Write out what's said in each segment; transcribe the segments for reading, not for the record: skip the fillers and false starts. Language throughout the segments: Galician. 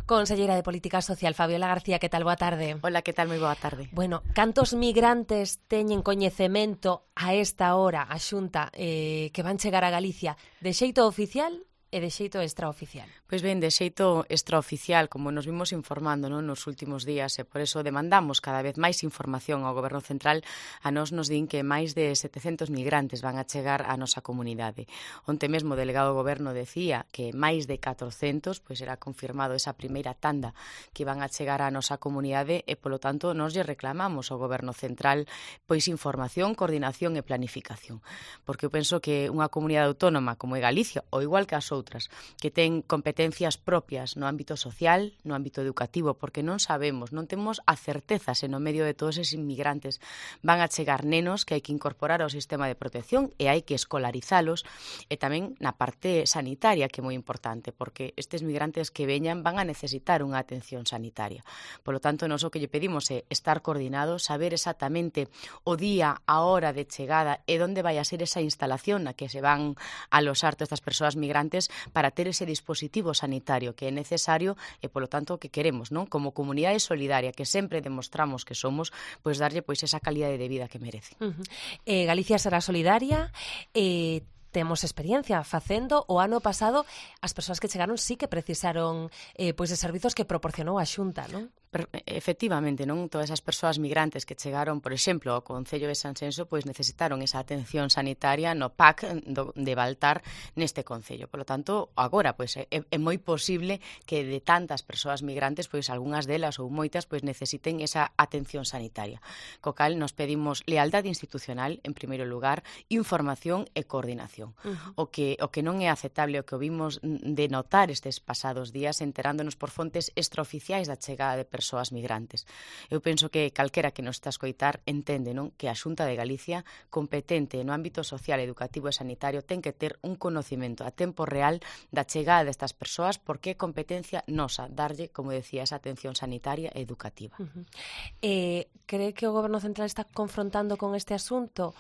Conselleira de Política Social, Fabiola García, que tal? Boa tarde. Hola, que tal? Moi boa tarde. Bueno, cantos migrantes teñen coñecemento a esta hora a Xunta que van chegar a Galicia de xeito oficial e de xeito extraoficial? Pois ben, de xeito extraoficial, como nos vimos informando, non, nos últimos días, e por eso demandamos cada vez máis información ao Goberno Central. A nós nos din que máis de 700 migrantes van a chegar á nosa comunidade. Onte mesmo o delegado do Goberno decía que máis de 400, pois era confirmado esa primeira tanda que van a chegar á nosa comunidade e, polo tanto, nos lle reclamamos ao Goberno Central pois información, coordinación e planificación. Porque eu penso que unha comunidade autónoma como é Galicia, ou igual que as outras, que ten competencias propias no ámbito social, no ámbito educativo, porque non sabemos, non temos a certeza se no medio de todos eses inmigrantes van a chegar nenos que hai que incorporar ao sistema de protección e hai que escolarizalos, e tamén na parte sanitaria, que é moi importante, porque estes migrantes que veñan van a necesitar unha atención sanitaria. Polo tanto, nós o que lle pedimos é estar coordinados, saber exactamente o día, a hora de chegada e onde vai a ser esa instalación na que se van a alosar todas estas persoas migrantes, para ter ese dispositivo sanitario que é necesario e, polo tanto, que queremos, non? Como comunidade solidaria que sempre demostramos que somos, pois darlle pois esa calidade de vida que merece. Galicia será solidaria, temos experiencia facendo. O ano pasado as persoas que chegaron sí que precisaron pois de servizos que proporcionou a Xunta, non? Efectivamente, non? Todas as persoas migrantes que chegaron, por exemplo, ao Concello de Sanxenxo, pois necesitaron esa atención sanitaria no PAC de Baltar neste Concello. Por lo tanto, agora pois é moi posible que de tantas persoas migrantes, pois algunhas delas ou moitas, pois necesiten esa atención sanitaria. Co cal nos pedimos lealdade institucional, en primeiro lugar, información e coordinación. O que non é aceptable, o que vimos de notar estes pasados días, enterándonos por fontes extraoficiais da chegada de persoas migrantes. Eu penso que calquera que nos está a escoitar entende, non, que a Xunta de Galicia, competente no ámbito social, educativo e sanitario, ten que ter un conocimento a tempo real da chegada destas persoas, porque é competencia nosa darlle, como decía, esa atención sanitaria e educativa. Cree que o Goberno Central está confrontando con este asunto?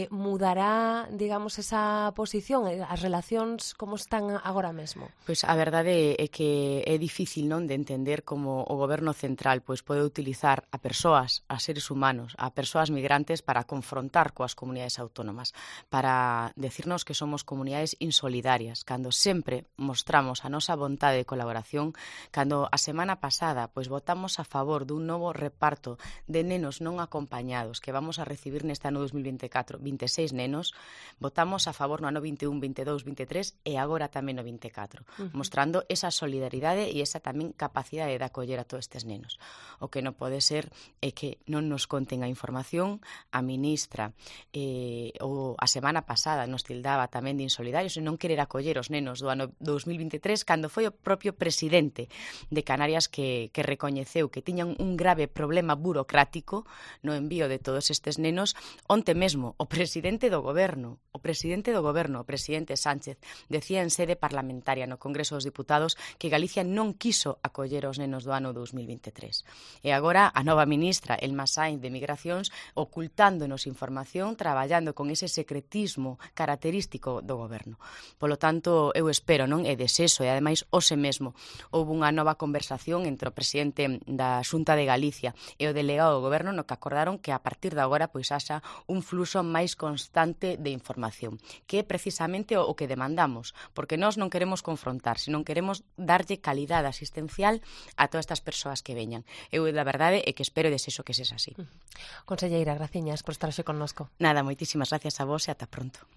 Mudará, digamos, esa posición, as relacións como están agora mesmo? Pois a verdade é que é difícil, non, de entender como o Goberno Central pois pode utilizar a persoas, a seres humanos, a persoas migrantes para confrontar coas comunidades autónomas, para decirnos que somos comunidades insolidarias, cando sempre mostramos a nosa vontade de colaboración, cando a semana pasada pois votamos a favor dun novo reparto de nenos non acompañados que vamos a recibir neste ano 2024, 26 nenos, votamos a favor no ano 21, 22, 23 e agora tamén no 24, mostrando esa solidaridade e esa tamén capacidade de acoller a todos estes nenos. O que non pode ser é que non nos conten a información. A ministra ou a semana pasada nos tildaba tamén de insolidarios e non querer acoller os nenos do ano 2023, cando foi o propio presidente de Canarias que recoñeceu que tiñan un grave problema burocrático no envío de todos estes nenos. Onte mesmo o presidente do Goberno, o presidente Sánchez, decía en sede parlamentaria no Congreso dos Diputados que Galicia non quiso acoller os nenos do ano 2023. E agora a nova ministra, Elma Sainz, de Migracións, ocultándonos información, traballando con ese secretismo característico do Goberno. Polo tanto, eu espero, non, e desexo, e ademais hoxe mesmo houve unha nova conversación entre o presidente da Xunta de Galicia e o delegado do Goberno, no que acordaron que a partir de agora pois haxa un fluxo máis constante de información, que é precisamente o que demandamos, porque nós non queremos confrontar, senón queremos darlle calidade asistencial a todas estas persoas que veñan. Eu, da verdade, é que espero e desexo que sexa así. Conselleira, graciñas por estar hoxe connosco. Nada, moitísimas gracias a vos e ata pronto.